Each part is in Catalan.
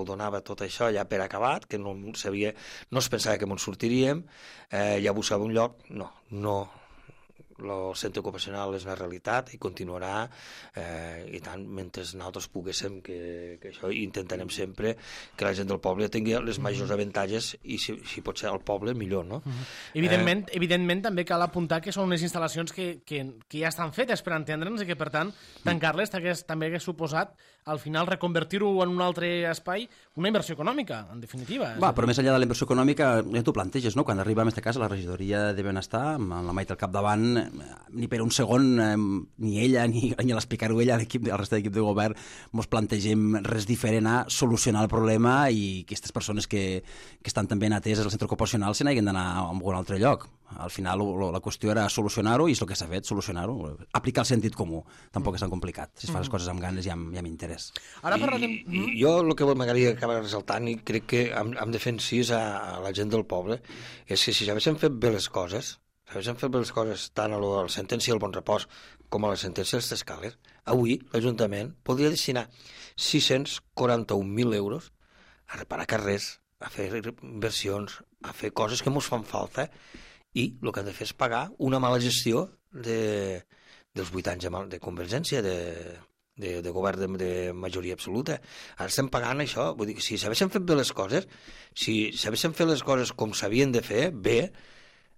el donava tot això ja per acabat, que no es pensava que ens sortiríem, ja buscava un lloc, no, el centre ocupacional és una realitat i continuarà, i tant, mentre nosaltres poguéssim, que això intentarem sempre que la gent del poble tingui les majors avantatges i si pot ser el poble millor, no? Evidentment també cal apuntar que són unes instal·lacions que ja estan fetes per entendre'ns i que per tant tancar-les també hagués suposat al final reconvertir-ho en un altre espai, una inversió econòmica, en definitiva. Però més enllà de la inversió econòmica, ja t'ho planteges, no? Quan arriba en aquest cas la regidoria de Benestar, amb la Maite al capdavant, ni per un segon, ni ella, ni l'explicar-ho ella, al resta de l'equip de govern, ens plantegem res diferent a solucionar el problema i que aquestes persones que estan també ateses al centre ocupacional se n'hagin d'anar a un altre lloc. Al final la qüestió era solucionar-ho i és el que s'ha fet, solucionar-ho. Aplicar el sentit comú, tampoc és tan complicat. Si es fa les coses amb ganes i amb interès. Ara parlarem... Jo el que m'agradaria acabar resaltant, i crec que hem de fer incís a la gent del poble, és que si s'haguessin fet bé les coses, tant a la sentència del Bon Repòs com a la sentència dels Escales, avui l'Ajuntament podria destinar 641.000 euros a reparar carrers, a fer inversions, a fer coses que ens fan falta, i el que han de fer és pagar una mala gestió dels 8 anys de Convergència, de govern de majoria absoluta. Ara estem pagant això. Vull dir que si s'haguessin fet bé les coses, si s'haguessin fet les coses com s'havien de fer, bé,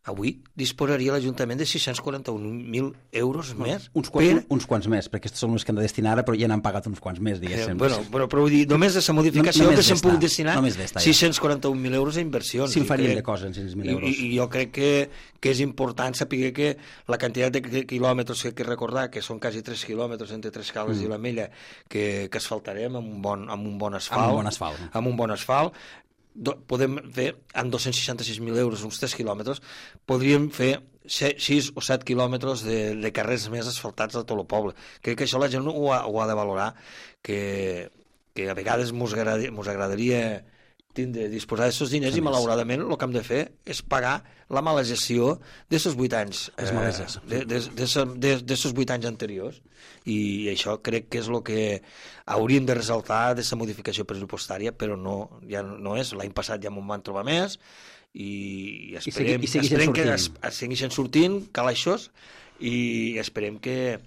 avui disposaria l'Ajuntament de 641.000 euros més. Uns quants més, perquè aquests són els que han de destinar ara, però ja n'han pagat uns quants més, diguéssim. Però vull dir, només de la modificació que s'han pogut destinar 641.000 euros a inversions. Si en faríem de coses en 600.000 euros. I jo crec que és important saber que la quantitat de quilòmetres que recordar, que són quasi 3 quilòmetres entre Trescales i la Mella, que asfaltarem amb un bon asfalt, podem fer, amb 266.000 euros, uns 3 quilòmetres, podríem fer 6 o 7 quilòmetres de carrers més asfaltats a tot el poble. Crec que això la gent ho ha de valorar, que a vegades ens agradaria disposar d'aquests diners i malauradament el que hem de fer és pagar la mala gestió d'aquests 8 anys, d'aquests 8 anys anteriors, i això crec que és el que hauríem de resaltar d'aquesta modificació pressupostària, però ja no és. L'any passat ja m'ho van trobar més i esperem que segueixin sortint calaixos i esperem que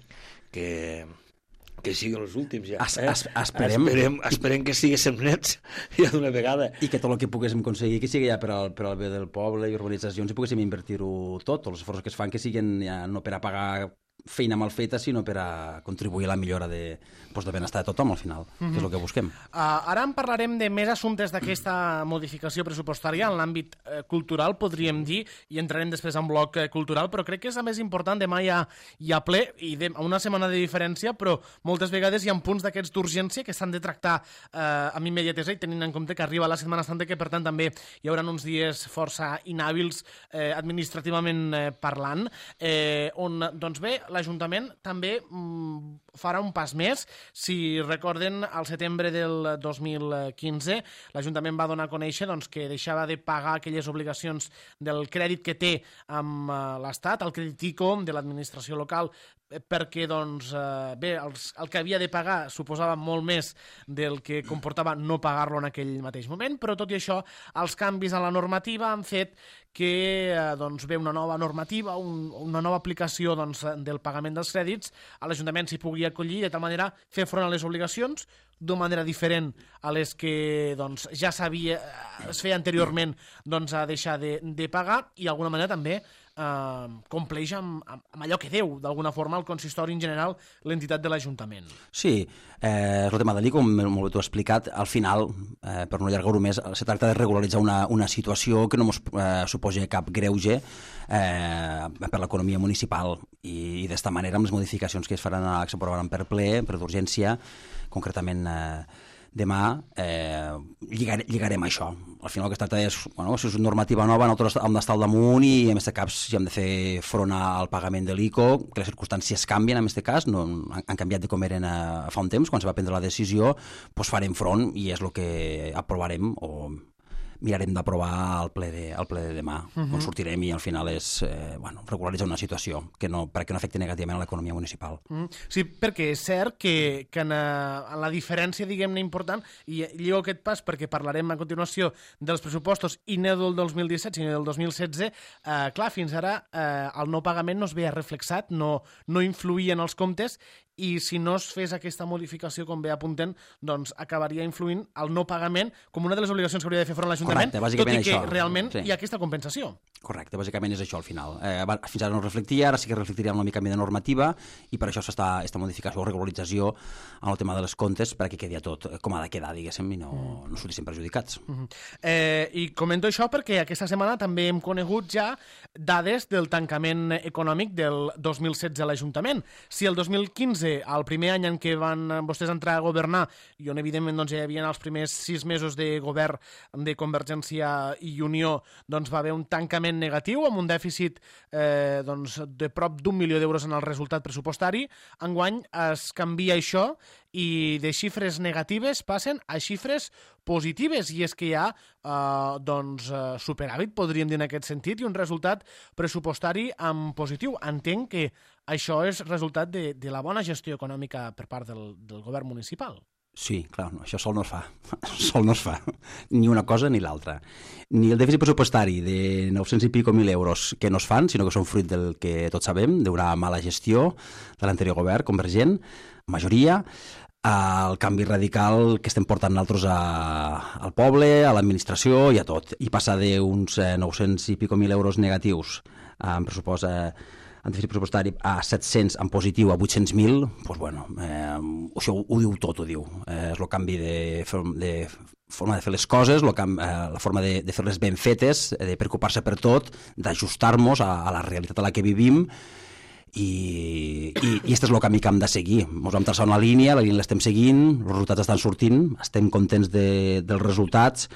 siguin els últims ja. Esperem que siguéssim nets ja d'una vegada. I que tot el que poguéssim aconseguir que sigui ja per al bé del poble i urbanitzacions i poguéssim invertir-ho tot, tots els esforços que es fan que siguin ja no per a pagar feina mal feta, sinó per a contribuir a la millora de benestar de tothom al final, que és el que busquem. Ara en parlarem de més assumptes d'aquesta modificació pressupostària en l'àmbit cultural, podríem dir, i entrarem després en bloc cultural, però crec que és el més important. Demà hi ha ple, i a una setmana de diferència, però moltes vegades hi ha punts d'aquests d'urgència que s'han de tractar amb immediatesa, i tenint en compte que arriba la Setmana Santa, que per tant també hi haurà uns dies força inhàbils administrativament parlant, on, doncs bé, l'Ajuntament també farà un pas més. Si recorden, al setembre del 2015 l'Ajuntament va donar a conèixer que deixava de pagar aquelles obligacions del crèdit que té amb l'Estat, el crèdit ICO de l'administració local, perquè el que havia de pagar suposava molt més del que comportava no pagar-lo en aquell mateix moment, però tot i això els canvis a la normativa han fet que ve una nova normativa, una nova aplicació del pagament dels crèdits, a l'Ajuntament s'hi pugui acollir, de tal manera fer front a les obligacions d'una manera diferent a les que ja es feia anteriorment a deixar de pagar, i d'alguna manera també compleix amb allò que deu d'alguna forma el consistori en general, l'entitat de l'Ajuntament. Sí, el tema de l'ICO, com molt bé t'ho he explicat, al final, per no allargar-ho més, se tracta de regularitzar una situació que no ens suposa cap greuge per l'economia municipal, i d'esta manera amb les modificacions que s'aprovaran per ple, per d'urgència, concretament demà, lligarem això. Al final el que es tracta és, si és una normativa nova, nosaltres hem d'estar al damunt i en aquest cas si hem de fer front al pagament de l'ICO, que les circumstàncies canvien en aquest cas, no han canviat de com eren fa un temps, quan se va prendre la decisió, doncs farem front i és el que aprovarem o mirarem d'aprovar al ple de demà, on sortirem i al final és regularitzar una situació perquè no afecti negativament a l'economia municipal. Sí, perquè és cert que en la diferència, diguem-ne, important, i lligo aquest pas perquè parlarem a continuació dels pressupostos i no del 2017 sinó del 2016, clar, fins ara el no pagament no es veia reflexat, no influïa en els comptes, i si no es fes aquesta modificació, com bé apunten, doncs acabaria influint el no pagament com una de les obligacions que hauria de fer front l'Ajuntament, tot i que realment hi ha aquesta compensació. Correcte, bàsicament és això al final. Fins ara no reflectia, ara sí que reflectiria amb una mica de normativa i per això s'està aquesta modificació o regularització en el tema dels comptes perquè quedi tot com ha de quedar, diguéssim, i no sortissin perjudicats. I comento això perquè aquesta setmana també hem conegut ja dades del tancament econòmic del 2016 a l'Ajuntament. Si el 2015, el primer any en què van vostès entrar a governar, i on evidentment doncs, ja hi havia els primers 6 mesos de govern de Convergència i Unió, doncs va haver un tancament negatiu amb un dèficit de prop d'1 milió d'euros en el resultat pressupostari. Enguany es canvia això i de xifres negatives passen a xifres positives, i és que hi ha superàvit, podríem dir en aquest sentit, i un resultat pressupostari en positiu. Entenc que això és resultat de la bona gestió econòmica per part del govern municipal. Sí, clar, no, això sol no es fa. Sol no es fa. Ni una cosa ni l'altra. Ni el dèficit pressupostari de 900 i pico mil euros que no es fan, sinó que són fruit del que tots sabem, d'una mala gestió de l'anterior govern convergent, majoria, el canvi radical que estem portant nosaltres al poble, a l'administració i a tot. I passar d'uns 900 i pico mil euros negatius en pressupost en dèficit pressupostari a 700 en positiu a 800.000, doncs bueno, això ho diu tot, ho diu. És el canvi de forma de fer les coses, la forma de fer-les ben fetes, de preocupar-se per tot, d'ajustar-nos a la realitat a la que vivim, i aquest és el camí que hem de seguir. Ens vam traçar una línia, la línia l'estem seguint, els resultats estan sortint, estem contents dels resultats.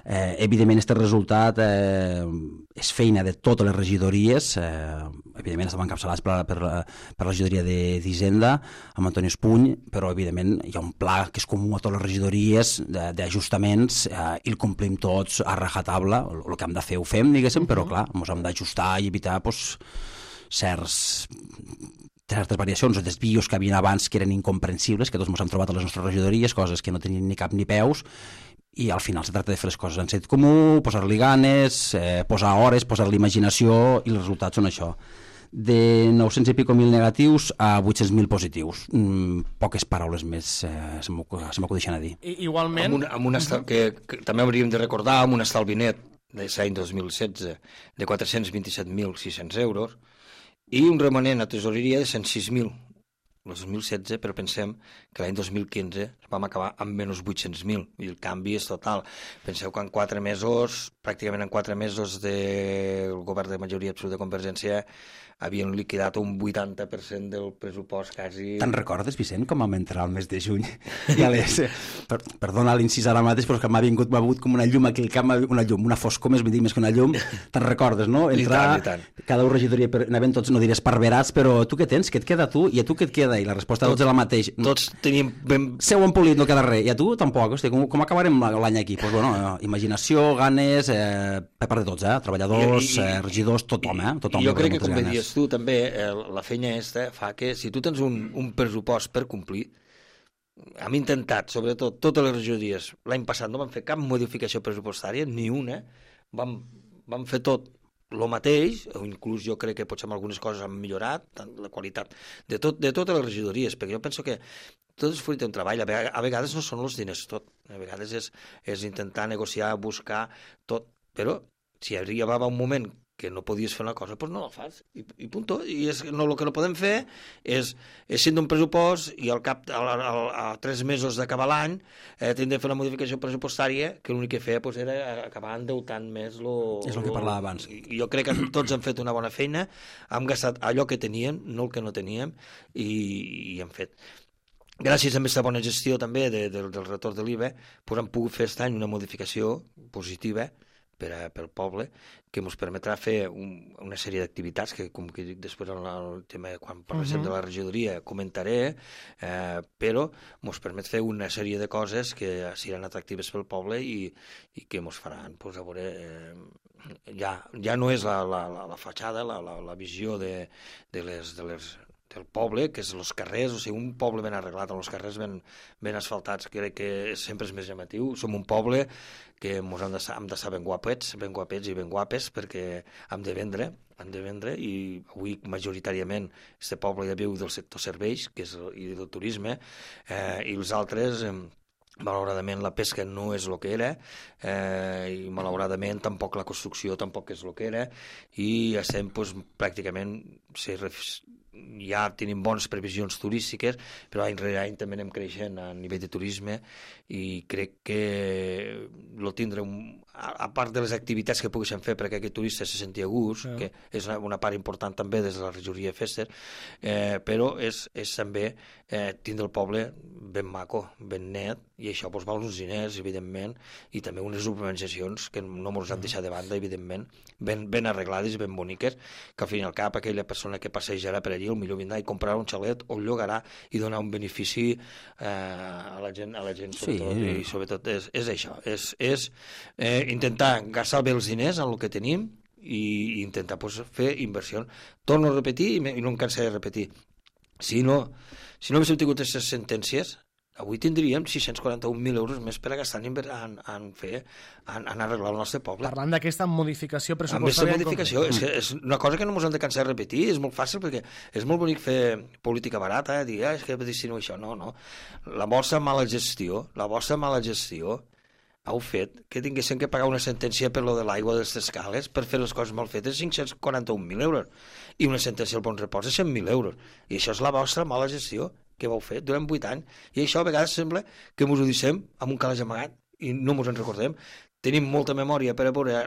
Evidentment, aquest resultat és feina de totes les regidories, evidentment estem encapçalats per la regidoria d'Hisenda, amb Antoni Espuny, però evidentment hi ha un pla que és comú a totes les regidories d'ajustaments i el complim tots a rajatabla. El que hem de fer ho fem, diguéssim, però clar, ens hem d'ajustar i evitar certes variacions o desvios que havien abans que eren incomprensibles, que tots ens hem trobat a les nostres regidories, coses que no tenien ni cap ni peus, i al final se tracta de fer les coses en sentit comú, posar-li ganes, posar hores, posar-li imaginació, i els resultats són això. De 900 i pico mil negatius a 800.000 positius. Poques paraules més se m'acudeixen a dir. Igualment... que també hauríem de recordar, amb un estalvi net de l'any 2016 de 427.600 euros i un remanent a tesoreria de 106.000. El 2016, però pensem que l'any 2015 vam acabar amb menys 800.000, i el canvi és total. Penseu que en 4 mesos, pràcticament en 4 mesos del govern de majoria absoluta de Convergència, havien liquidat un 80% del pressupost quasi... Te'n recordes, Vicent, com vam entrar al mes de juny? Perdona l'incís ara mateix, però que m'ha vingut com una llum aquí al cap, una foscor més que una llum. Te'n recordes, no? Entrar, I tant. cada regidoria, anaven tots, no diré esparverats, però tu què tens? Què et queda tu? I a tu què et queda? I la resposta tots és la mateixa. Tots teníem... Seu empolit, no queda res. I a tu tampoc. Hosti, com acabarem l'any aquí? Pues, bueno, imaginació, ganes, per part de tots, treballadors, regidors, tothom. Jo crec que, com dius tu, també la feina aquesta fa que si tu tens un pressupost per complir, hem intentat, sobretot, totes les regidories, l'any passat no vam fer cap modificació pressupostària, ni una, vam fer tot el mateix, o inclús jo crec que potser algunes coses han millorat, tant la qualitat de totes les regidories, perquè jo penso que tot és fruit d'un treball, a vegades no són els diners tot, a vegades és intentar negociar, buscar tot, però si arribava un moment que no podies fer una cosa, doncs no la fas, i punto. I el que no podem fer és sent un pressupost i al cap a 3 mesos d'acabar l'any tindrem de fer una modificació pressupostària que l'únic que feia era acabar endeutant més és el que parlava abans. I jo crec que tots han fet una bona feina, hem gastat allò que teníem, no el que no teníem, i hem fet. Gràcies a aquesta bona gestió també del retorn de l'IVA, hem pogut fer aquest any una modificació positiva pel poble, que ens permetrà fer una sèrie d'activitats que, com que dic després en el tema, quan parlem de la regidoria, comentaré, però ens permet fer una sèrie de coses que seran atractives pel poble i que ens faran, pues, a veure, ja no és la fatxada, la visió del poble, que és els carrers, o sigui, un poble ben arreglat, amb els carrers ben asfaltats, crec que sempre és més llamatiu. Som un poble que hem d'estar ben guapets i ben guapes, perquè hem de vendre, i avui majoritàriament este poble ja viu del sector serveis, que és i del turisme, i els altres... malauradament la pesca no és el que era, i malauradament tampoc la construcció tampoc és el que era, i estem pràcticament ja tenim bones previsions turístiques, però any rere any també anem creixent a nivell de turisme, i crec que tindre a part de les activitats que poguéssim fer perquè aquest turista se senti a gust, que és una part important també des de la regidoria de Fester, però és també tindre el poble ben maco, ben net, i això val uns diners, evidentment, i també unes urbanitzacions que no ens han deixat de banda, evidentment, ben arreglades i ben boniques, que al fin i al cap aquella persona que passejarà per allí millor vindrà i comprarà un xalet o el llogarà i donar un benefici a la gent sobretot, i sobretot és això, és intentar gastar bé els diners en el que tenim i intentar fer inversió. Torno a repetir i no em cansaré de repetir, si no haguéssim tingut aquestes sentències, avui tindríem 641.000 euros més per a gastar en arreglar el nostre poble. Parlant d'aquesta modificació pressupostària... Aquesta modificació és una cosa que no ens hem de cansar de repetir, és molt fàcil perquè és molt bonic fer política barata, dir, és que destino això, no. La vostra mala gestió heu fet que tinguéssim que pagar una sentència per lo de l'aigua de les escales per fer les coses mal fetes, 541.000 euros, i una sentència al bon repòs de 100.000 euros, i això és la vostra mala gestió que vau fer durant 8 anys, i això a vegades sembla que ens ho deixem amb un calaix amagat i no ens en recordem. Tenim molta memòria per a veure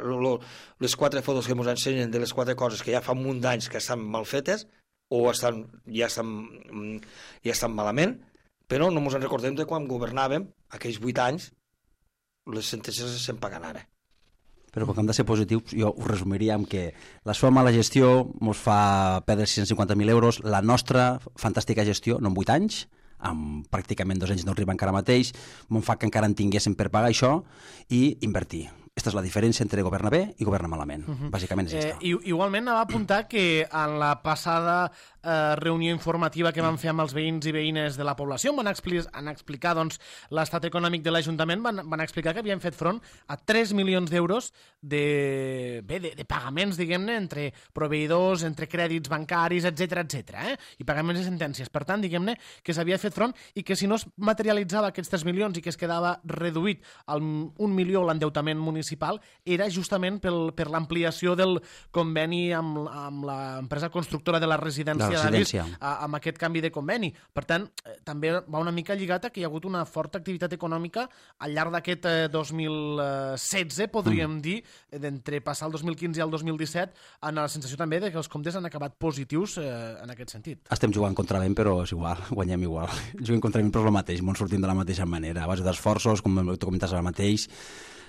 les 4 fotos que ens ensenyen de les 4 coses que ja fa un munt d'anys que estan mal fetes o ja estan malament, però no ens en recordem de quan governàvem aquells 8 anys. Les sentències les estem pagant ara. Però com que hem de ser positius, jo ho resumiria amb que la seva mala gestió ens fa perdre 650.000 euros, la nostra fantàstica gestió, no en 8 anys, amb pràcticament 2 anys no arriba encara mateix, ens fa que encara en tinguéssim per pagar això i invertir. Aquesta és la diferència entre governar bé i governar malament. Bàsicament és aquesta. Igualment, anava a apuntar que en la passada reunió informativa que van fer amb els veïns i veïnes de la població van explicar l'estat econòmic de l'Ajuntament, van explicar que havien fet front a 3 milions d'euros de pagaments, diguem-ne, entre proveïdors, entre crèdits bancaris, etc, i pagaments de sentències. Per tant, diguem-ne, que s'havia fet front i que si no es materialitzava aquests 3 milions i que es quedava reduït al 1 milió l'endeutament municipal, era justament per l'ampliació del conveni amb l'empresa constructora de la residència amb aquest canvi de conveni. Per tant, també va una mica lligat a que hi ha hagut una forta activitat econòmica al llarg d'aquest 2016, podríem dir, d'entre passar el 2015 i el 2017, en la sensació també de que els comptes han acabat positius en aquest sentit. Estem jugant contra vent, però és igual, guanyem igual. Juguem contra vent, però és el mateix, ens sortim de la mateixa manera, a base d'esforços, com tu comentes ara mateix.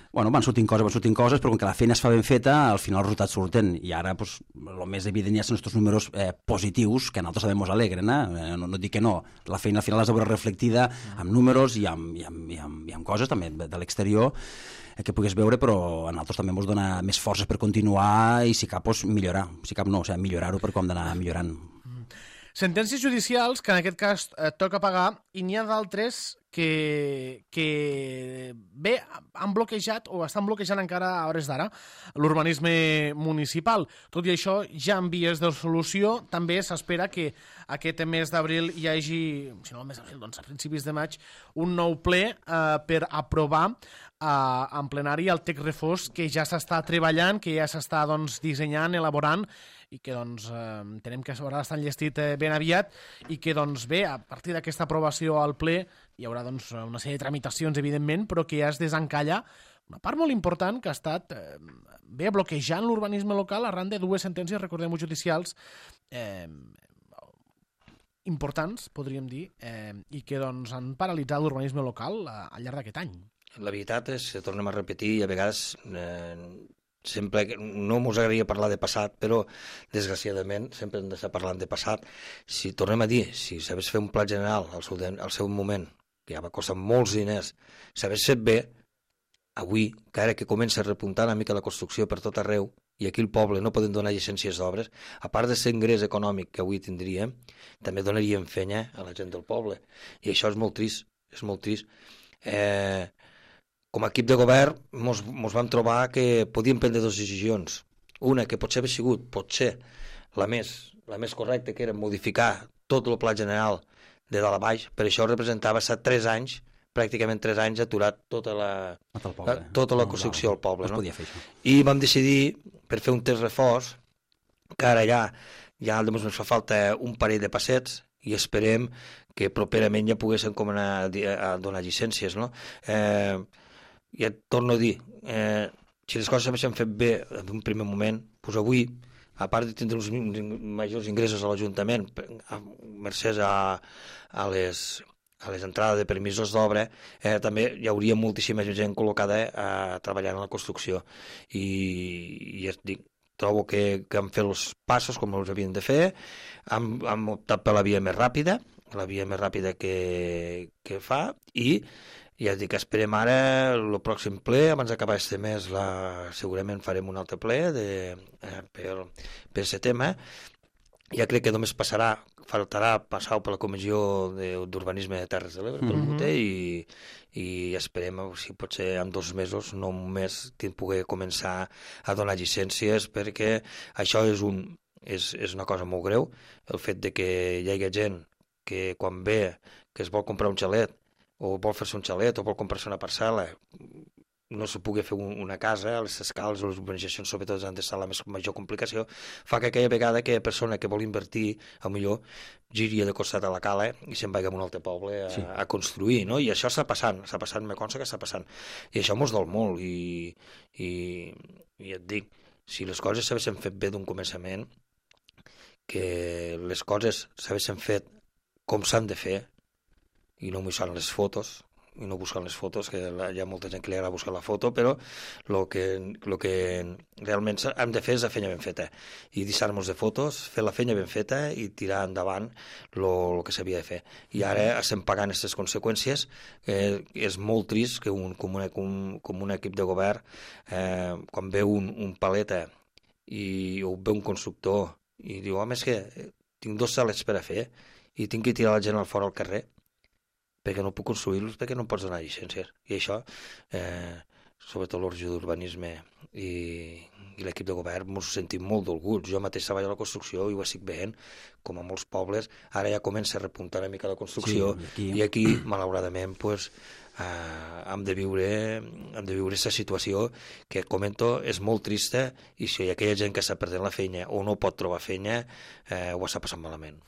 Bueno, van sortint coses, però com que la feina es fa ben feta, al final els resultats surten. I ara, el més evident ja són aquests números positius, que a nosaltres també ens alegren, no dic que no. La feina al final has de veure reflectida amb números i amb coses també de l'exterior que puguis veure, però a nosaltres també ens dona més forces per continuar i si cap, millorar. Si cap no, millorar-ho per com d'anar millorant. Sentències judicials que en aquest cas toca pagar, i n'hi ha d'altres que bé, han bloquejat o estan bloquejant encara a hores d'ara l'urbanisme municipal. Tot i això, ja en vies de solució, també s'espera que aquest mes d'abril hi hagi, si no el mes d'abril, doncs a principis de maig, un nou ple per aprovar en plenari el text refós que ja s'està treballant, que ja s'està dissenyant, elaborant, i que entenem que s'haurà d'estar enllestit ben aviat i que bé, a partir d'aquesta aprovació al ple hi haurà una sèrie de tramitacions, evidentment, però que ja es desencalla una part molt important que ha estat bloquejant l'urbanisme local arran de 2 sentències, recordem-ho, judicials importants, podríem dir, i que han paralitzat l'urbanisme local al llarg d'aquest any. La veritat és que, tornem a repetir, a vegades sempre no ens agradaria parlar de passat, però desgraciadament sempre hem d'estar parlant de passat. Si tornem a dir, si s'hagués fet un pla general al seu moment, que ja va costar molts diners, s'hagués fet bé, avui, que ara que comença a repuntar una mica la construcció per tot arreu, i aquí al poble no poden donar llicències d'obres, a part de ser ingrés econòmic que avui tindríem, també donaríem fenya a la gent del poble. I això és molt trist, és molt trist. Com a equip de govern mos vam trobar que podíem prendre dues decisions. Una, que potser havia sigut, potser, la més correcta, que era modificar tot el pla general de dalt a baix, per això representava 3 anys, pràcticament 3 anys aturat tota la construcció al poble. No? I vam decidir, per fer un test reforç, que ara ja ens fa falta un parell de passets i esperem que properament ja poguéssim començar a donar llicències. No? Ja et torno a dir, si les coses s'havien fet bé en un primer moment, doncs avui, a part de tindre uns majors ingressos a l'Ajuntament, mercès a les entrades de permisos d'obra, també hi hauria moltíssima gent col·locada treballant en la construcció. I ja et dic, trobo que han fet els passos com els havien de fer, han optat per la via més ràpida, que fa, i ja et dic, esperem ara el pròxim ple, abans d'acabar este mes segurament farem un altre ple per aquest tema. Ja crec que només faltarà passar per la Comissió d'Urbanisme de Terres de l'Ebre, pel Boter, i esperem, si pot ser en 2 mesos, no un mes, poder començar a donar llicències, perquè això és una cosa molt greu, el fet de que hi hagi gent que quan ve que es vol comprar un xalet, o vol fer-se un xalet, o vol comprar-se una parcel·la, no se pugui fer una casa, a les escales o les urbanitzacions sobretot han d'estar la major complicació, fa que aquella vegada aquella persona que vol invertir, millor giria de costat a la cala i se'n vagi a un altre poble a construir, no? I això està passant, me consta que està passant. I això mos dol molt i et dic, si les coses s'haguessin fet bé d'un començament, que les coses s'haguessin fet com s'han de fer i no buscant les fotos, que hi ha molta gent que li agrada buscar la foto, però el que realment hem de fer és la feina ben feta i deixar-nos de fotos, fer la feina ben feta i tirar endavant el que s'havia de fer. I ara estem pagant aquestes conseqüències. És molt trist que com un equip de govern, quan ve un paleta o ve un constructor i diu, home, és que tinc 2 xalets per a fer i tinc que tirar la gent al fora al carrer perquè no puc construir-los, perquè no pots donar llicències. I això, sobretot l'Orgia d'Urbanisme i l'equip de govern, ens sentim molt dolguts. Jo mateix treballo a la construcció i ho estic veient, com a molts pobles, ara ja comença a repuntar una mica la construcció, i aquí, malauradament, hem de viure aquesta situació que, comento, és molt trista, i si hi ha aquella gent que està perdent la feina o no pot trobar feina, ho està passant malament.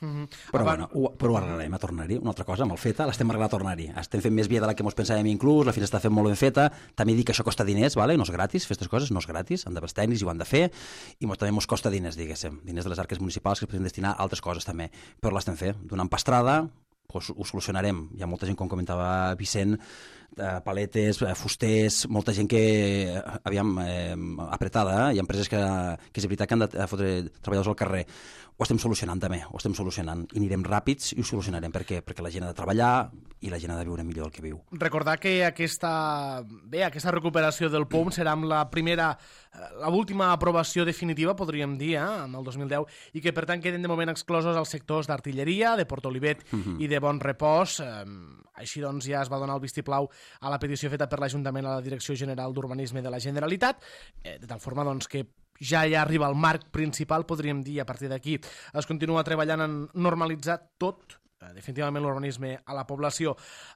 Però ho arreglarem a tornar-hi. Una altra cosa, amb el FETA l'estem arreglant a tornar-hi. Estem fent més via de la que ens pensàvem inclús, la fina està fent molt ben feta. També dic que això costa diners, no és gratis, fer aquestes coses no és gratis, han d'haver tècnics i ho han de fer, i també ens costa diners, diguéssim, diners de les arques municipals que es poden destinar a altres coses també, però l'estem fent, donant pastrada, ho solucionarem. Hi ha molta gent, com comentava Vicent, paletes, fusters, molta gent que, apretada, hi ha empreses que és veritat que han de fotre treballadors al carrer. Ho estem solucionant també, i anirem ràpids i ho solucionarem perquè la gent ha de treballar i la gent ha de viure millor el que viu. Recordar que aquesta recuperació del POM serà amb l'última aprovació definitiva, podríem dir, en el 2010, i que per tant queden de moment exclosos els sectors d'artilleria, de Port Olivet i de Bon Repòs. Així doncs ja es va donar el vistiplau a la petició feta per l'Ajuntament a la Direcció General d'Urbanisme de la Generalitat, de tal forma doncs, que ja arriba al marc principal, podríem dir, a partir d'aquí es continua treballant en normalitzar tot, definitivament l'urbanisme a la població.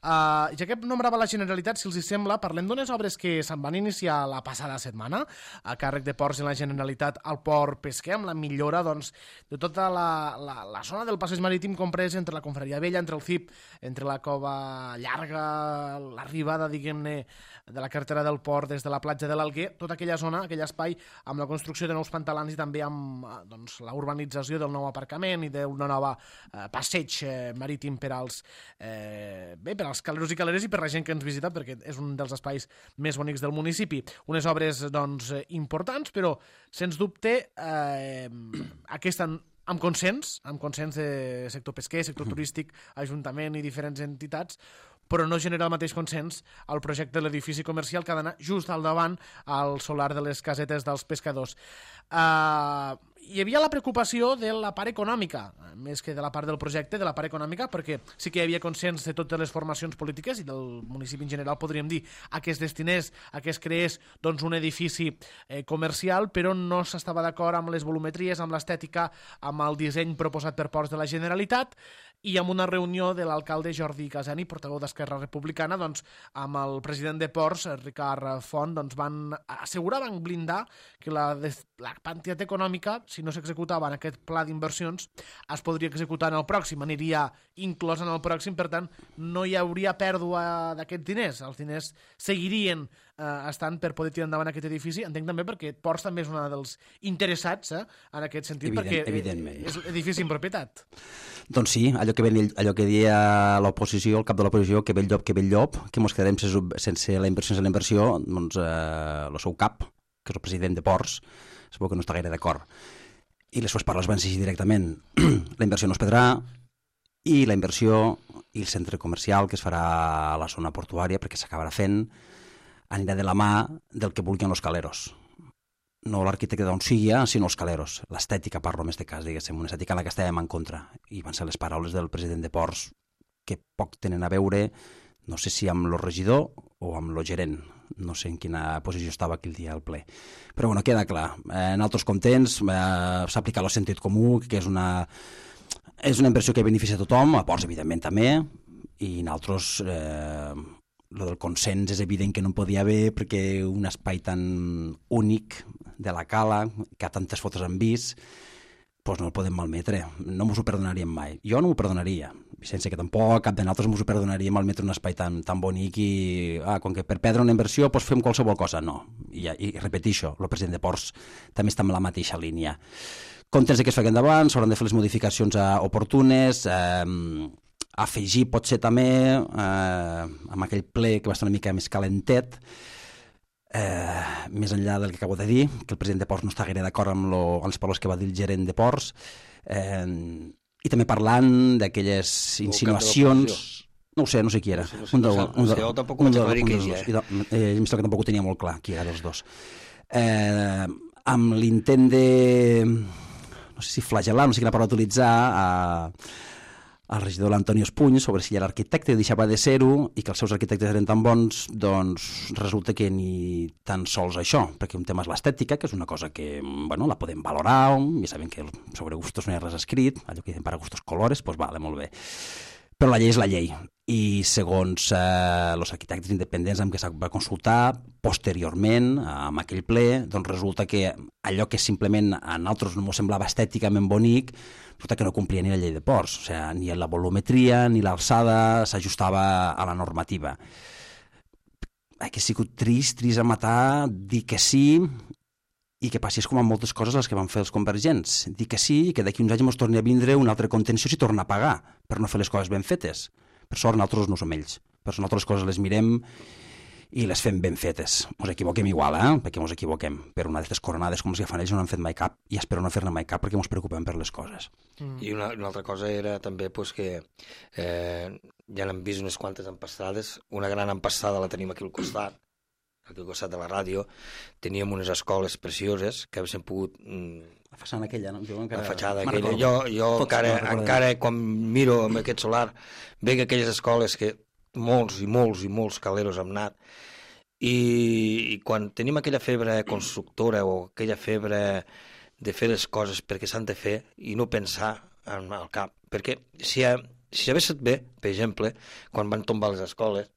Ja que nombrava la Generalitat, si els sembla, parlem d'unes obres que se'n van iniciar la passada setmana a càrrec de Ports i la Generalitat al port pesquer, amb la millora de tota la zona del passeig marítim comprès entre la Confraria Vella, entre el CIP, entre la Cova Llarga, l'arribada, diguem-ne, de la carretera del port des de la platja de l'Alguer, tota aquella zona, aquell espai, amb la construcció de nous pantalans i també amb la urbanització del nou aparcament i d'una nova passeig marítim per als caleros i caleres i per la gent que ens visita, perquè és un dels espais més bonics del municipi. Unes obres doncs, importants, però sens dubte aquesta amb consens de sector pesquer, sector turístic, ajuntament i diferents entitats, però no genera el mateix consens al projecte de l'edifici comercial que ha d'anar just al davant al solar de les casetes dels pescadors. Hi havia la preocupació de la part econòmica, més que de la part del projecte, de la part econòmica, perquè sí que hi havia consens de totes les formacions polítiques i del municipi en general, podríem dir, a que es destinés, a que es creés doncs, un edifici comercial, però no s'estava d'acord amb les volumetries, amb l'estètica, amb el disseny proposat per Ports de la Generalitat, i amb una reunió de l'alcalde Jordi Casani, portaveu d'Esquerra Republicana, doncs, amb el president de Ports, Ricard Font, doncs, van blindar que la quantitat econòmica, si no s'executava en aquest pla d'inversions, es podria executar en el pròxim, aniria inclòs en el pròxim, per tant, no hi hauria pèrdua d'aquests diners. Els diners seguirien estant per poder tirar endavant aquest edifici. Entenc també perquè Ports també és un dels interessats en aquest sentit, perquè és edifici en propietat. Doncs sí, allò que deia l'oposició, el cap de l'oposició, que bell llop, que mos quedarem sense la inversió, doncs el seu cap, que és el president de Ports, segur que no està gaire d'acord. I les seves paraules van ser directament. La inversió no es perdrà, i la inversió i el centre comercial que es farà a la zona portuària, perquè s'acabarà fent, anirà de la mà del que vulguin els caleros. No l'arquitecte d'on sigui, sinó els caleros. L'estètica, parlo en aquest cas, diguéssim, una estètica en la que estàvem en contra. I van ser les paraules del president de Ports, que poc tenen a veure, no sé si amb el regidor o amb el gerent. No sé en quina posició estava aquell dia al ple. Però bueno, queda clar. En altres contents s'ha aplicat el sentit comú, que és una inversió que beneficia a tothom, a Ports, evidentment, també, i en altres... Lo del consens és evident que no podia haver, perquè un espai tan únic de la cala, que a tantes fotos han vist, doncs no el podem malmetre. No m'ho perdonaríem mai. Jo no m'ho perdonaria. Sense que tampoc cap de nosaltres m'ho perdonaria malmetre un espai tan bonic i, com que per perdre una inversió doncs fem qualsevol cosa. No. I repetixo, el president de Ports també està en la mateixa línia. Contents que es facin endavant, s'hauran de fer les modificacions oportunes, afegir potser també amb aquell ple que va estar una mica més calentet, més enllà del que acabo de dir, que el president de Ports no està gaire d'acord amb les paraules que va dir el gerent de Ports, i també parlant d'aquelles insinuacions... No ho sé, no sé qui era. Jo tampoc ho vaig aclarir que ell era. Em sembla que tampoc ho tenia molt clar qui era dels dos. Amb l'intent de... no sé si flagel·lar, no sé quina paraula utilitzar, al regidor l'Antonio Espuny sobre si era arquitecte i deixava de ser-ho i que els seus arquitectes eren tan bons, doncs resulta que ni tan sols això, perquè un tema és l'estètica, que és una cosa que bueno, la podem valorar, ja sabem que sobre gustos no hi ha res escrit, allò que dicen para gustos colores, doncs vale, molt bé. Però la llei és la llei, i segons els arquitectes independents amb què s'ha va consultar posteriorment, amb aquell ple, doncs resulta que allò que simplement a nosaltres no ens semblava estèticament bonic, resulta que no complia ni la llei de Ports, o sigui, ni la volumetria ni l'alçada s'ajustava a la normativa. Que ha sigut trist a matar, dir que sí, i que passés com amb moltes coses les que van fer els convergents. Dir que sí i que d'aquí uns anys ens torni a vindre una altra contenció si torna a pagar per no fer les coses ben fetes. Per sort, nosaltres no som ells. Per sort, nosaltres coses les mirem i les fem ben fetes. Ens equivoquem igual, perquè ens equivoquem. Però una d'aquestes coronades com les que fan ells no n'han fet mai cap i espero no fer-ne mai cap perquè ens preocupem per les coses. I una altra cosa era també que ja n'hem vist unes quantes empassades. Una gran empassada la tenim aquí al costat de la ràdio. Teníem unes escoles precioses que haguéssim pogut... La façana aquella, no? La fatxada aquella. Jo encara quan miro amb aquest solar veig aquelles escoles que molts i molts caleros hem anat i quan tenim aquella febre constructora o aquella febre de fer les coses perquè s'han de fer i no pensar en el cap, perquè si hagués estat bé, per exemple, quan van tombar les escoles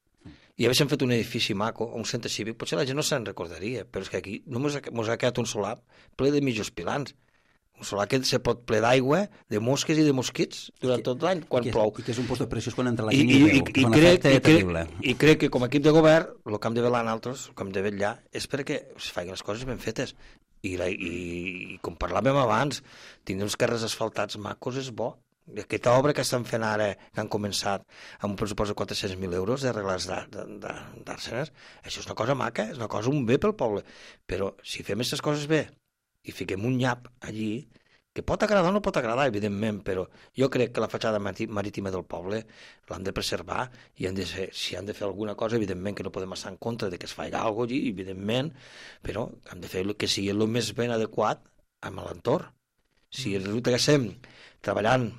i haguéssim fet un edifici maco, un centre cívic, potser la gent no se'n recordaria, però és que aquí només mos ha quedat un solar ple de mitjos pilans. Un solar que se pot ple d'aigua, de mosques i de mosquits durant tot l'any, quan plou. I que és un post de preciós quan entra la gent i veu, que és un efecte terrible. I crec que com a equip de govern, el que hem de velar nosaltres, el que hem de vetllar, és perquè es facin les coses ben fetes. I com parlàvem abans, tindre uns carrers asfaltats macos és bo. Aquesta obra que estan fent ara, que han començat amb un pressupost de 400.000 euros d'arreglar d'Arsenes, això és una cosa maca, és una cosa, un bé pel poble. Però si fem aquestes coses bé i fiquem un nyap allí, que pot agradar o no pot agradar, evidentment, però jo crec que la fatxada marítima del poble l'han de preservar i si han de fer alguna cosa, evidentment que no podem estar en contra de que es faci alguna cosa allí, evidentment, però han de fer que sigui el més ben adequat amb l'entorn. Si resulta que estem treballant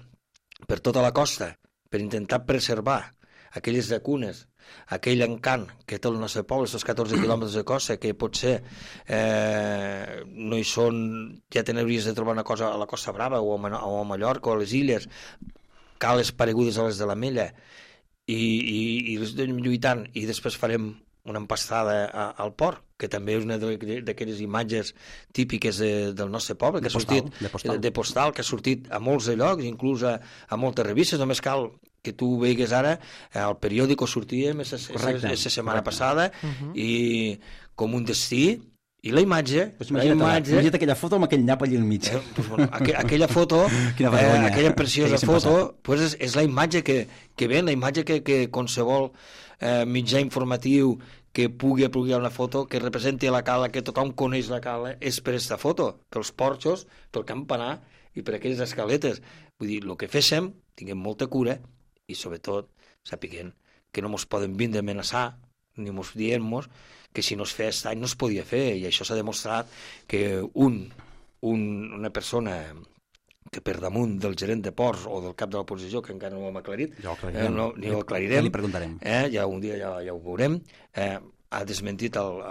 per tota la costa per intentar preservar aquelles llacunes, aquell encant que té el nostre poble, aquests 14 quilòmetres de costa, que potser no hi són, ja t'hauries de trobar una cosa a la Costa Brava o a Mallorca o a les illes, cales paregudes a les de la Mella, i les anem lluitant, i després farem una empastada al port, que també és una d'aquelles imatges típiques del nostre poble, que ha sortit de postal, que ha sortit a molts llocs, inclús a moltes revistes, només cal que tu veigues ara, al periòdico sortíem aquesta setmana passada, i com un destí, i la imatge... Imagina't aquella foto amb aquell nyap allà al mig. Aquella foto, aquella preciosa foto, és la imatge que ven, la imatge que qualsevol mitjà informatiu que pugui apropiar una foto que representi la cala, que tothom coneix la cala, és per aquesta foto, pels porxos, pel campanar i per aquelles escaletes. Vull dir, el que féssim, tinguem molta cura i, sobretot, sapiguem que no ens poden vindre a amenaçar ni ens dient-nos que si no es feia aquest any no es podia fer, i això s'ha demostrat que una persona que per damunt del gerent de ports o del cap de l'oposició, que encara no ho hem aclarit, ni ho aclarirem, ja li preguntarem. Ja un dia ja ho veurem, ha desmentit el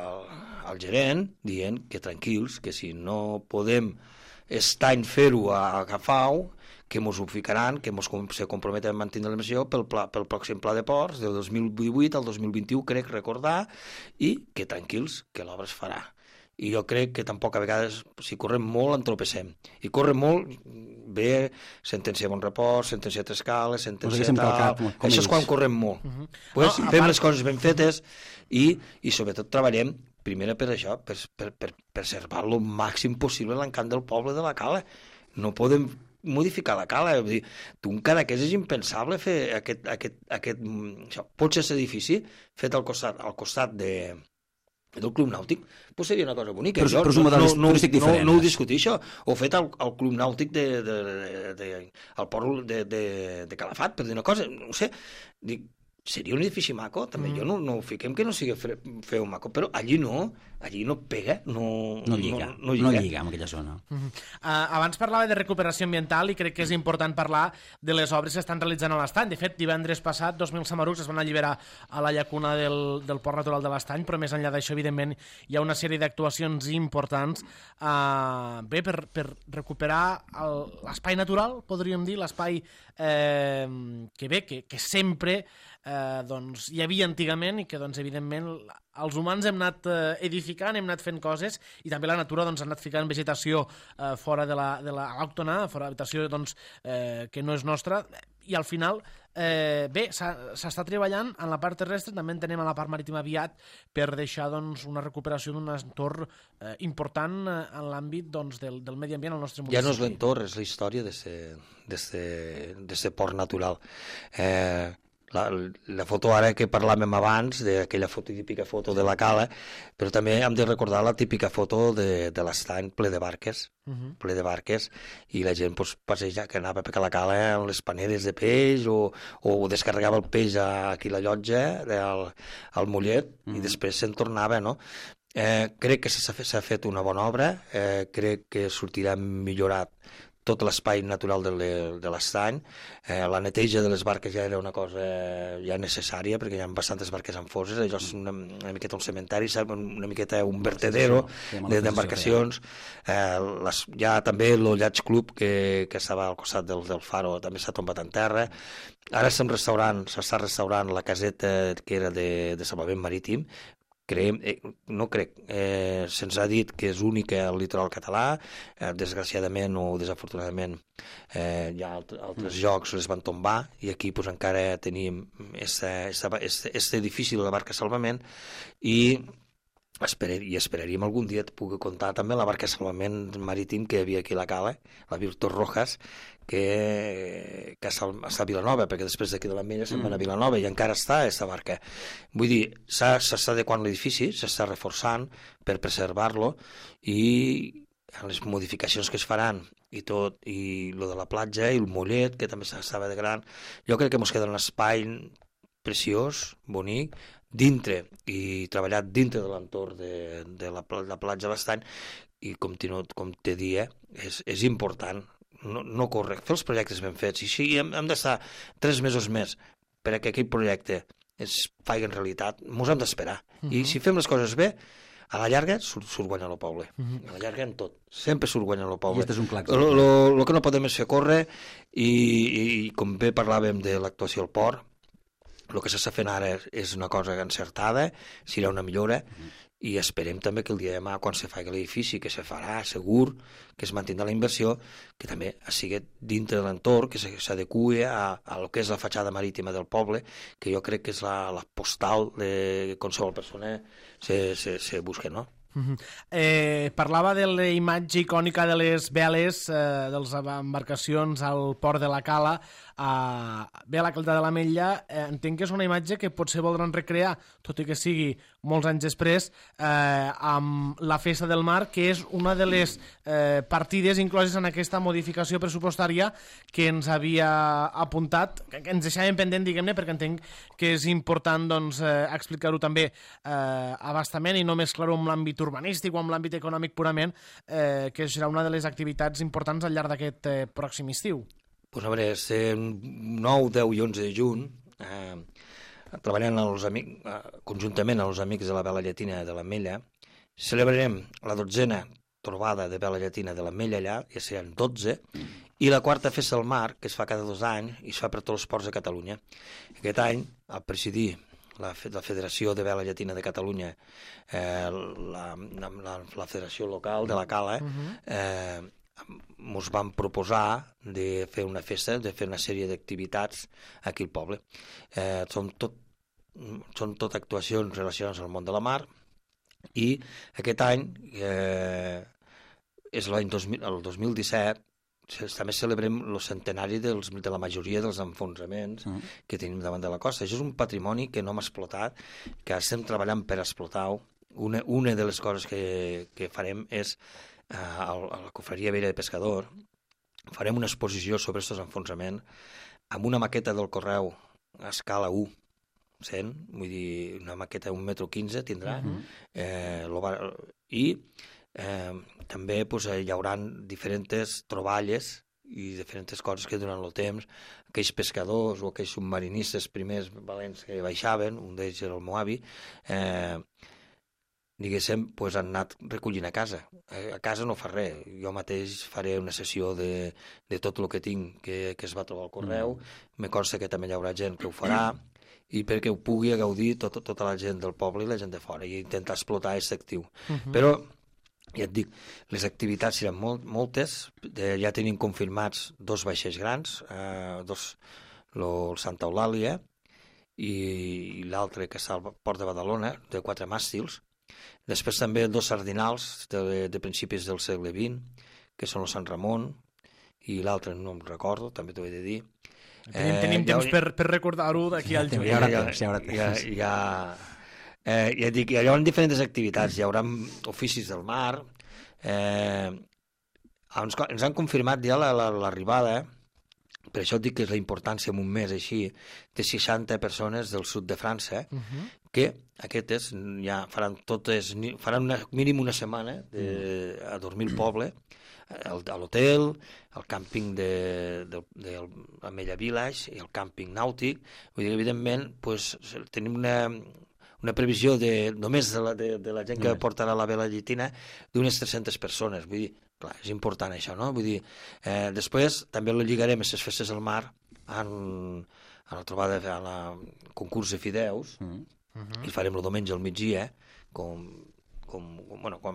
gerent dient que tranquils, que si no podem aquest any fer-ho a Agafau, que ens ho ficaran, que se comprometen a mantenir la missió pel pròxim pla de ports del 2018 al 2021, crec recordar, i que tranquils, que l'obra es farà. I jo crec que tampoc a vegades, si correm molt, entropessem. I corre molt, bé, sentència de bon repòs, sentència de Trescales, sentència de tal... Això és quan correm molt. Fem les coses ben fetes i sobretot treballem, primer per això, per preservar el màxim possible l'encant del poble de la cala. No podem modificar la cala. Vull dir, un Cadaqués és impensable fer aquest pot ser aquest edifici fet al costat del Club Nàutic, pues seria una cosa bonica. Però és un model turístic diferent. No ho discutir, això. O fet al Club Nàutic al port de Calafat, per dir una cosa. No sé, dic, seria un edifici maco, també. Jo no ho fiquem que no sigui feu maco, però allí no pega, no lliga amb aquella zona. Abans parlava de recuperació ambiental i crec que és important parlar de les obres que estan realitzant a l'Estany. De fet, divendres passat, 2.000 samarucs es van alliberar a la llacuna del Port Natural de l'Estany, però més enllà d'això, evidentment, hi ha una sèrie d'actuacions importants per recuperar l'espai natural, podríem dir, l'espai que sempre hi havia antigament i que, evidentment, els humans hem anat edificant, hem anat fent coses i també la natura ha anat ficant vegetació fora de l'autòctona, fora de la vegetació que no és nostra, i al final s'està treballant en la part terrestre, també en tenem a la part marítima aviat per deixar una recuperació d'un entorn important en l'àmbit del medi ambient al nostre municipi. Ja no és l'entorn, és la història d'aquest port natural. La foto ara que parlàvem abans, d'aquella típica foto de la cala, però també hem de recordar la típica foto de l'estany ple de barques, i la gent passeja, que anava per la cala amb les paneres de peix o descarregava el peix aquí a la llotja, al Mollet, i després se'n tornava, no? Crec que s'ha fet una bona obra, crec que sortirà millorat tot l'espai natural de l'estany. La neteja de les barques ja era una cosa ja necessària, perquè hi ha bastantes barques en foses, allò és una miqueta un cementari, una miqueta un vertedero d'embarcacions. Ja també el Yacht Club, que estava al costat del faro, també s'ha tombat en terra. Ara s'està restaurant la caseta que era de salvament marítim. Se'ns ha dit que és única al litoral català, desgraciadament o desafortunadament hi ha altres llocs les van tombar i aquí encara tenim aquest edifici de la barca salvament i esperaríem algun dia poder comptar també la barca de salvament marítim que hi havia aquí a la Cala, la Virtus Rojas, que està a Vilanova, perquè després d'aquí de l'Ametlla se'n van a Vilanova i encara està aquesta barca. Vull dir, s'està adequant l'edifici, s'està reforçant per preservar-lo i les modificacions que es faran i tot, i lo de la platja i el mollet, que també s'estava de gran, jo crec que ens queda un espai preciós, bonic, dintre i treballat dintre de l'entorn de la platja de l'Estany, i com te dia, és important no córrer, fer els projectes ben fets, i així hem d'estar 3 mesos més perquè aquell projecte es faci en realitat, ens hem d'esperar, i si fem les coses bé, a la llarga surt guanyant el poble, a la llarga en tot, sempre surt guanyant el poble. I és un clar el que no podem és fer córrer, i com bé parlàvem de l'actuació al port, el que s'està fent ara és una cosa encertada, serà una millora, i esperem també que el dia de demà, quan se faci l'edifici, que se farà segur, que es mantindrà la inversió, que també sigui dintre de l'entorn, que s'adequi a lo que és la fatxada marítima del poble, que jo crec que és la postal de qualsevol persona se busca, no? Parlava de la imatge icònica de les veles de les embarcacions al port de la Cala, bé a la Calda de l'Ametlla. Entenc que és una imatge que potser voldran recrear, tot i que sigui molts anys després, amb la Festa del Mar, que és una de les partides incloses en aquesta modificació pressupostària que ens havia apuntat, que ens deixàvem pendent, diguem-ne, perquè entenc que és important explicar-ho també abastament i no mesclar-ho amb l'àmbit urbanístic o amb l'àmbit econòmic purament, que serà una de les activitats importants al llarg d'aquest pròxim estiu. Pues a veure, 9, 10 i 11 de juny, treballant conjuntament amb els amics de la Vela Llatina de l'Ametlla, celebrarem la 12a trobada de Vela Llatina de l'Ametlla allà, ja seran 12, i la 4a Festa del Mar, que es fa cada 2 anys i es fa per tots els ports de Catalunya. Aquest any, al presidir la Federació de Vela Llatina de Catalunya, la Federació Local de la Cala, ens van proposar de fer una festa, de fer una sèrie d'activitats aquí al poble. Són tot actuacions relacionades al món de la mar, i aquest any, és el 2017, també celebrem el centenari de la majoria dels enfonsraments que tenim davant de la costa. Això és un patrimoni que no hem explotat, que estem treballant per explotar-ho. Una de les coses que farem és a la Cofreria Vella de Pescador farem una exposició sobre aquests enfonsraments amb una maqueta del correu a escala 1, 100, vull dir, una maqueta 1,15 m tindrà, i també hi haurà diferents troballes i diferents coses que durant el temps aquells pescadors o aquells submarinistes primers valents que baixaven, un d'ells era el meu avi, diguéssim, han anat recollint a casa. A casa no fa res. Jo mateix faré una sessió de tot el que tinc que es va trobar al correu. Me consta que també hi haurà gent que ho farà, i perquè ho pugui gaudir tota la gent del poble i la gent de fora, i intentar explotar aquest actiu. Però, ja et dic, les activitats seran moltes. Ja tenim confirmats 2 vaixells grans, el Santa Eulàlia i l'altre que està al port de Badalona, de 4 màstils. Després també 2 sardinals de principis del segle XX, que són el Sant Ramon, i l'altre no em recordo, també t'ho he de dir. Tenim temps per recordar-ho d'aquí al juny. Ja dic, hi haurà diferents activitats, hi haurà oficis del mar, ens han confirmat ja l'arribada, per això et dic que és la importància en un mes així, de 60 persones del sud de França, que aquestes ja faran mínim una setmana a dormir al poble, a l'hotel, al càmping de l'Ametlla Village i al càmping nàutic. Vull dir, evidentment, tenim una previsió només de la gent que portarà la Vela Llatina d'unes 300 persones. Vull dir, clar, és important això, no? Vull dir, després també lo lligarem a les festes del mar a la trobada, a la concurs de fideus, i farem el diumenge al migdia, com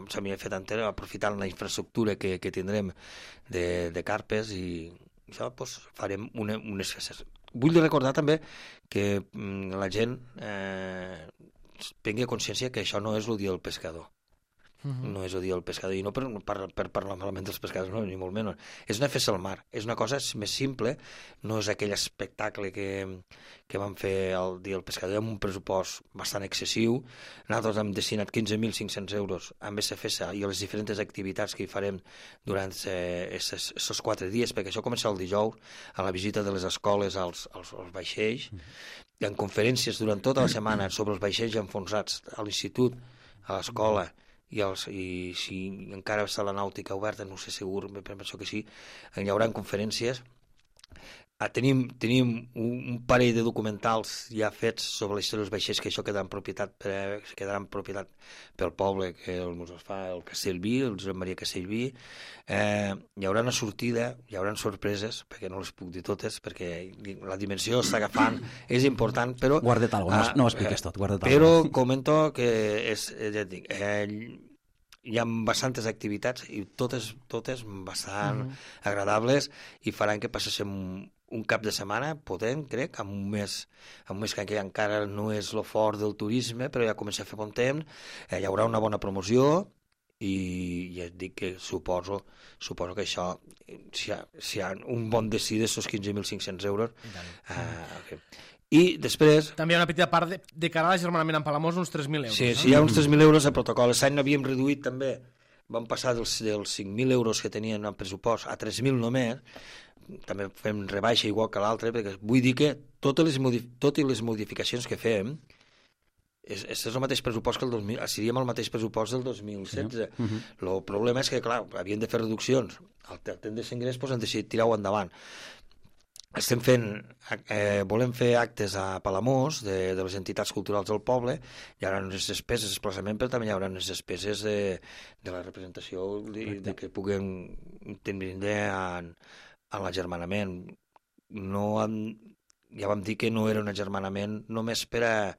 s'havia fet anterior, aprofitant la infraestructura que tindrem de carpes, i això farem unes festes. Vull recordar també que la gent prengui consciència que això no és el dia del pescador. No és el dia del pescador, i no per parlar malament dels pescadors, no, ni molt menys. És una festa al mar, és una cosa més simple, no és aquell espectacle que vam fer el dia del pescador amb un pressupost bastant excessiu. Nosaltres hem destinat 15.500 euros a aquesta festa i a les diferents activitats que hi farem durant aquests 4 dies, perquè això comença el dijous, a la visita de les escoles als vaixells. Hi ha conferències durant tota la setmana sobre els vaixells enfonsats a l'institut, a l'escola, i si encara està la nàutica oberta, no sé segur, penso que sí, hi haurà conferències. Tenim un parell de documentals ja fets sobre la història dels vaixells, que això quedarà en propietat pel poble, que ens fa el Castellví, el Josep Maria Castellví. Hi haurà una sortida, hi haurà sorpreses, perquè no les puc dir totes, perquè la dimensió està agafant, és important, però... Guarda't alguna cosa, no ho expliques tot, guarda't però alguna cosa. comento que ja et dic, hi ha bastantes activitats i totes bastant agradables i faran que passéssim un cap de setmana potent, crec, amb un mes que encara no és lo fort del turisme, però ja comença a fer bon temps, hi haurà una bona promoció i ja et dic que suposo que això, si hi ha un bon destí d'estos 15.500 euros, okay. I després... També hi ha una petita part de cara a l'agermanament amb Palamós, uns 3.000 euros. Sí, hi ha uns 3.000 euros de protocol. L'any n'havíem reduït també, vam passar dels 5.000 euros que tenien en pressupost a 3.000 només, també fem rebaixa igual que l'altre, perquè vull dir que totes les modificacions que fem és el mateix pressupost que seríem el mateix pressupost del 2016. El problema és que, clar, havien de fer reduccions. Al temps de l'ingrés han decidit tirar-ho endavant. Volem fer actes a Palamós de les entitats culturals del poble, hi haurà unes despeses de desplaçament, però també hi haurà unes despeses de la representació de que puguem tindre en l'agermanament. Ja vam dir que no era un agermanament només per a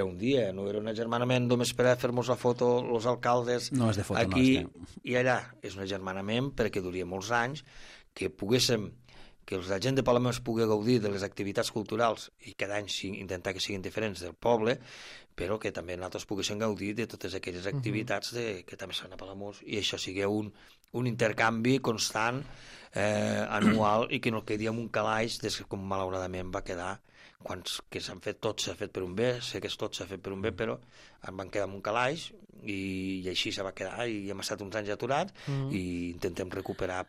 un dia, no era un agermanament només per a fer-nos la foto els alcaldes aquí i allà. És un agermanament perquè duria molts anys, que la gent de Palamós pugui gaudir de les activitats culturals i cada any intentar que siguin diferents del poble, però que també nosaltres poguéssim gaudir de totes aquelles activitats que també són a Palamós, i això sigui un intercanvi constant, anual, i que no quedi en un calaix com malauradament va quedar que tot s'ha fet per un bé, sé que tot s'ha fet per un bé, però en van quedar en un calaix i així se va quedar i hem estat uns anys aturats i intentem recuperar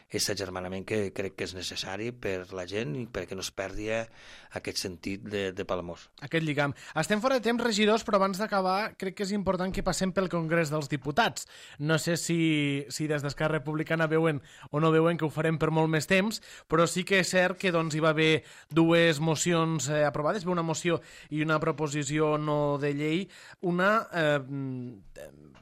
aquest agermanament que crec que és necessari per la gent i perquè no es perdi aquest sentit de Palamós. Aquest lligam. Estem fora de temps, regidors, però abans d'acabar crec que és important que passem pel Congrés dels Diputats. No sé si des d'Esquerra Republicana veuen o no veuen que ho farem per molt més temps, però sí que és cert que hi va haver dues mocions aprovades, una moció i una proposició no de llei, una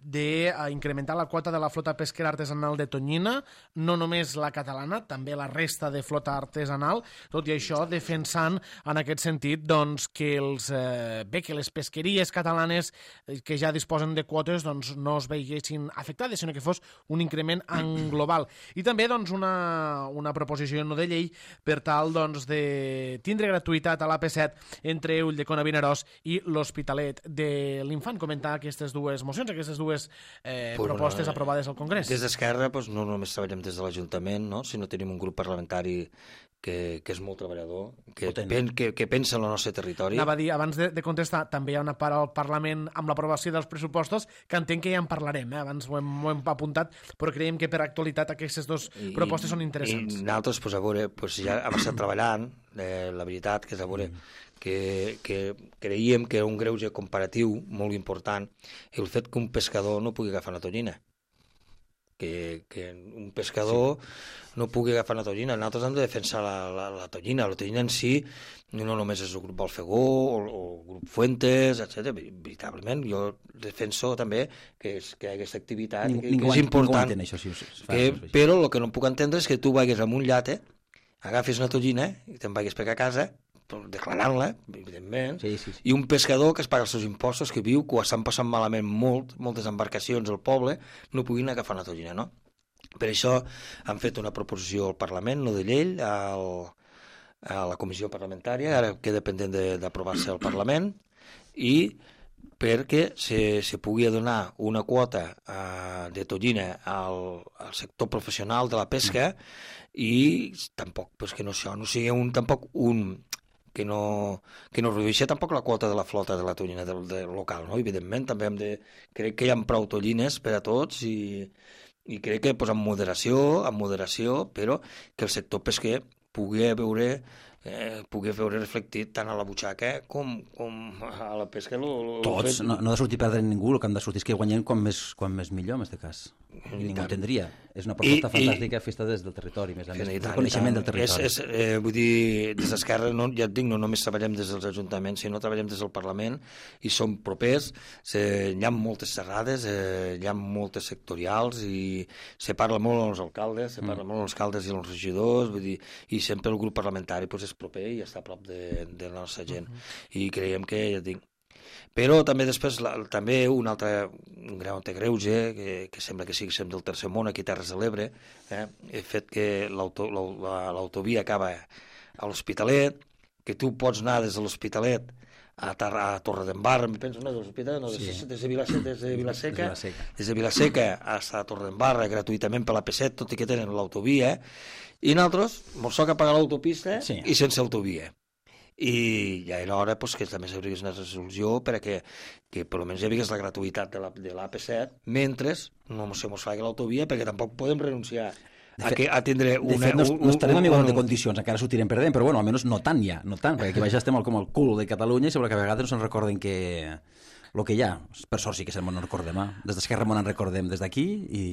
d'incrementar la quota de la flota pesquera artesanal de tonyina, no només la catalana, també la resta de flota artesanal, tot i això defensant en aquest sentit doncs, que les pesqueries catalanes que ja disposen de quotes doncs, no es veiessin afectades, sinó que fos un increment en global. I també doncs, una proposició no de llei per tal doncs, de tindre gratuïtat a l'AP7 entre Ulldecona, Vinaròs i l'Hospitalet de l'Infant. Comentar aquestes dues mocions, aquestes dues propostes aprovades al Congrés. Des d'Esquerra no només treballem des de l'Ajuntament, sinó tenim un grup parlamentari que és molt treballador, que pensa en el nostre territori. Anava a dir, abans de contestar, també hi ha una part al Parlament amb l'aprovació dels pressupostos que entenc que ja en parlarem, abans ho hem apuntat, però creiem que per actualitat aquestes dues propostes són interessants. I nosaltres, a veure, ja hem estat treballant, la veritat, que és a veure, que creiem que era un greuge comparatiu molt important el fet que un pescador no pugui agafar una tonyina. Que un pescador no pugui agafar una tonyina. Nosaltres hem de defensar la tonyina. La tonyina en si no només és el grup Balfegó o el grup Fuentes, etc. Veritablement, jo defenso també que aquesta activitat que és important. Però el que no puc entendre és que tu vagis amb un llate, agafis una tonyina i te'n vagis per a casa declarant-la, evidentment, i un pescador que es paga els seus impostos, que viu, que ho estan passant malament moltes embarcacions al poble, no puguin agafar una tonyina, no? Per això han fet una proposició al Parlament, no de llei, a la comissió parlamentària, ara queda pendent d'aprovar-se al Parlament, i perquè se pugui donar una quota de tonyina al sector professional de la pesca i tampoc que no sigui que no redueixi tampoc la quota de la flota de la tonyina del local, no? Evidentment, també crec que hi ha prou tonyines per a tots i crec que amb moderació, però que el sector pesquer pugui veure reflectit tant a la butxaca com a la pesca. Tots, no ha de sortir perdent ningú, el que han de sortir és que guanyen quan més millor, en aquest cas. I ningú entendria. És una proposta fantàstica festa des del territori, més a més, el coneixement del territori. Vull dir, des d'Esquerra, ja et dic, no només treballem des dels ajuntaments, sinó treballem des del Parlament i som propers, hi ha moltes xerrades, hi ha moltes sectorials i se parla molt amb els alcaldes, i els regidors, vull dir, i sempre el grup parlamentari és proper i està a prop de la nostra gent. I creiem que, ja et dic, però també després un gran greuge que sembla que sigui del tercer món aquí a Terres de l'Ebre, el fet que l'autovia acaba a l'Hospitalet, que tu pots anar des de l'Hospitalet a Torredembarra, em penso, no, des de Vilaseca a Torredembarra gratuïtament per la P7, tot i que tenen l'autovia, i nosaltres mos toca pagar l'autopista i sense autovia. I ja era hora que també s'hagués una resolució perquè per almenys hi hagués la gratuïtat de l'AP7 mentre no se mos faci l'autovia, perquè tampoc podem renunciar a tindre una... De fet, no estarem en igualtat de condicions, encara sortirem perdent, però bueno, almenys no tant, perquè aquí baix estem com el cul de Catalunya i sembla que a vegades no se'n recorden que el que hi ha, per sort sí que se'n recordem, des d'Esquerra Món en recordem des d'aquí i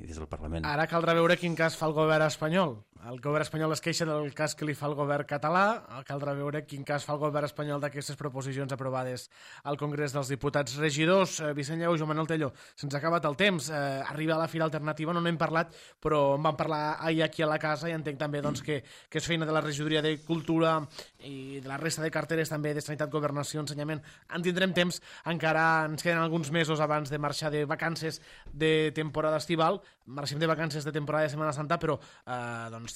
des del Parlament. Ara caldrà veure quin cas fa el govern espanyol. El govern espanyol es queixa del cas que li fa el govern català, caldrà veure quin cas fa el govern espanyol d'aquestes proposicions aprovades al Congrés dels Diputats. Regidors, Vicent Lleó, Joan Manuel Tello, se'ns ha acabat el temps, arriba a la Fira Alternativa, no n'hem parlat, però en vam parlar ahir aquí a la casa i entenc també que és feina de la Regidoria de Cultura i de la resta de carteres també de Sanitat, Governació, Ensenyament. En tindrem temps, encara ens queden alguns mesos abans de marxar de vacances de temporada estival, marxem de vacances de temporada de Setmana Santa, però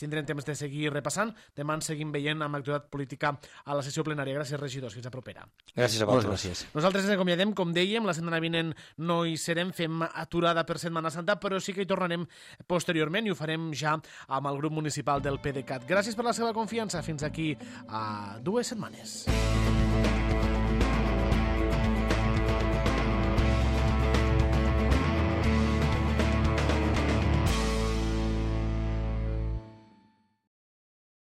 tindrem temps de seguir repassant. Demà ens seguim veient amb l'actualitat política a la sessió plenària. Gràcies, regidors. Fins a propera. Gràcies a vosaltres. Nosaltres ens acomiadem, com dèiem, la setmana vinent no hi serem, fem aturada per Setmana Santa, però sí que hi tornarem posteriorment i ho farem ja amb el grup municipal del PDeCAT. Gràcies per la seva confiança. Fins aquí a 2 setmanes.